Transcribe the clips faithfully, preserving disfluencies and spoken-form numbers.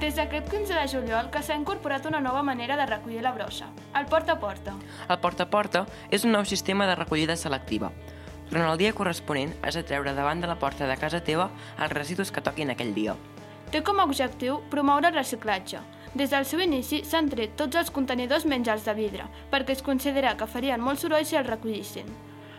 Des d'aquest quinze de juliol que s'ha incorporat una nova manera de recollir la brossa, el porta a porta. El porta a porta és un nou sistema de recollida selectiva. Durant el dia corresponent has de treure davant de la porta de casa teva els residus que toquin aquell dia. Té com a objectiu promoure el reciclatge. Des del seu inici s'han tret tots els contenidors menys els de vidre, perquè es considera que farien molt soroll si els recollissin.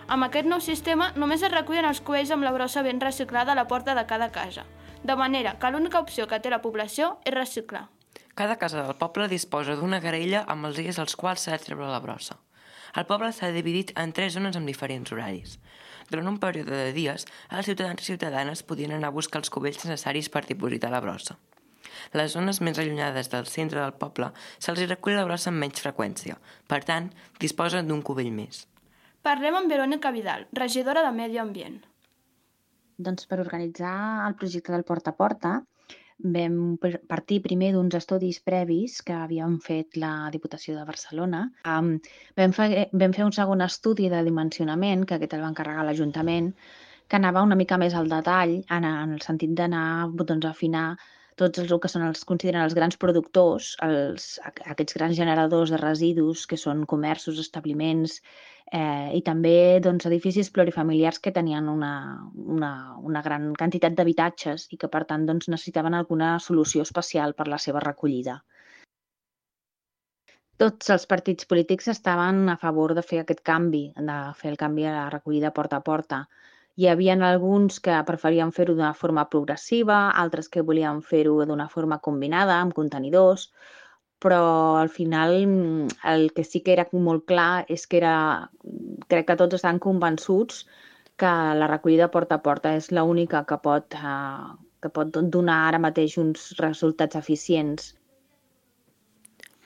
Amb aquest nou sistema només es recullen els cubells amb la brossa ben reciclada a la porta de cada casa, de manera que l'única opció que té la població és reciclar. Cada casa del poble disposa d'una garella amb els dies als quals s'ha de treure la brossa. El poble s'ha dividit en tres zones amb diferents horaris. Durant un període de dies, els ciutadans i ciutadanes podien anar a buscar els cubells necessaris per dipositar la brossa. Les zones més allunyades del centre del poble se'ls recull la brossa amb menys freqüència, per tant, disposen d'un cubell més. Parlem amb Verònica Vidal, regidora de Medi Ambient. Doncs per organitzar el projecte del Porta a Porta vam partir primer d'uns estudis previs que havíem fet la Diputació de Barcelona. Um, vam, fer, vam fer un segon estudi de dimensionament, que aquest el va encarregar l'Ajuntament, que anava una mica més al detall, en, en el sentit d'anar doncs, a afinar tots els que són els consideren els grans productors, els, aquests grans generadors de residus, que són comerços, establiments, eh, i també doncs, edificis plurifamiliars que tenien una, una, una gran quantitat d'habitatges i que, per tant, doncs, necessitaven alguna solució especial per la seva recollida. Tots els partits polítics estaven a favor de fer aquest canvi, de fer el canvi a la recollida porta a porta. Hi havia alguns que preferien fer-ho d'una forma progressiva, altres que volien fer-ho d'una forma combinada, amb contenidors, però al final el que sí que era molt clar és que era, crec que tots estan convençuts que la recollida porta a porta és l'única que pot, eh, que pot donar ara mateix uns resultats eficients.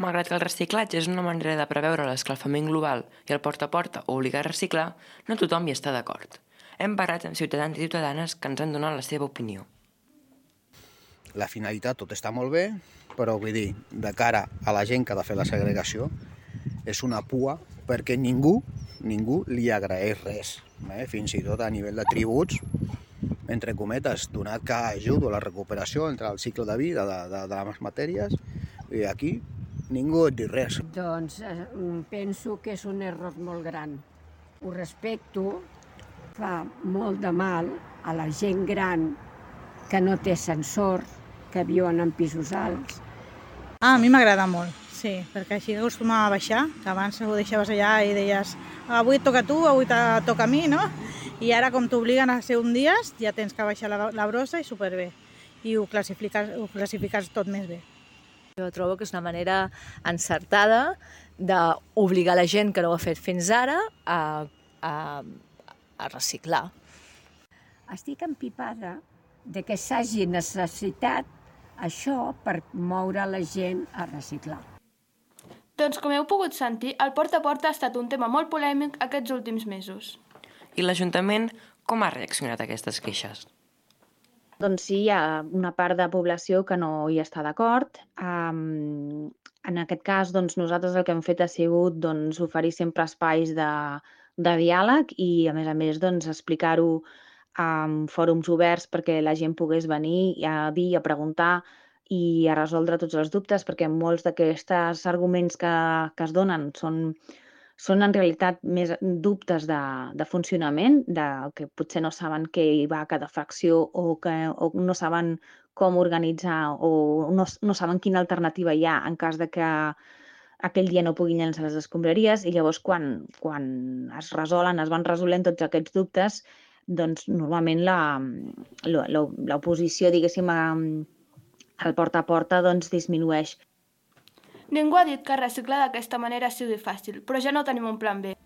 Malgrat que el reciclatge és una manera de preveure l'escalfament global i el porta a porta obligar a reciclar, no tothom hi està d'acord. Hem parlat amb ciutadans i ciutadanes que ens han donat la seva opinió. La finalitat tot està molt bé, però vull dir, de cara a la gent que ha de fer la segregació, és una pua perquè ningú, ningú li agraeix res. Eh? Fins i tot a nivell de tributs, entre cometes, donat que ajudo a la recuperació entre el cicle de vida de, de, de les matèries, i aquí ningú et diu res. Doncs eh, penso que és un error molt gran. Ho respecto, fa molt de mal a la gent gran que no té ascensor, que viuen en pisos alts. Ah, a mi m'agrada molt, sí, perquè així acostumava a baixar, que abans ho deixaves allà i deies avui et toca a tu, avui te toca a mi, no? I ara com t'obliguen a ser un dia, ja tens que baixar la, la brossa i superbé. I ho classifiques, ho classifiques tot més bé. Jo trobo que és una manera encertada d'obligar la gent que no ho ha fet fins ara a, a a reciclar. Estic empipada de que s'hagi necessitat això per moure la gent a reciclar. Doncs com heu pogut sentir, el porta a porta ha estat un tema molt polèmic aquests últims mesos. I l'Ajuntament com ha reaccionat a aquestes queixes? Doncs sí, hi ha una part de població que no hi està d'acord. Um, en aquest cas, doncs, nosaltres el que hem fet ha sigut doncs, oferir sempre espais de de diàleg i, a més a més, doncs, explicar-ho en fòrums oberts perquè la gent pogués venir a dir, a preguntar i a resoldre tots els dubtes, perquè molts d'aquests arguments que, que es donen són, són en realitat més dubtes de, de funcionament, de que potser no saben què hi va a cada fracció o, que, o no saben com organitzar o no, no saben quina alternativa hi ha en cas de que aquell dia no puguin llançar les escombraries i llavors quan, quan es resolen, es van resolent tots aquests dubtes, doncs normalment l'oposició, diguéssim, al porta a porta doncs disminueix. Ningú ha dit que reciclar d'aquesta manera sigui fàcil, però ja no tenim un plan B.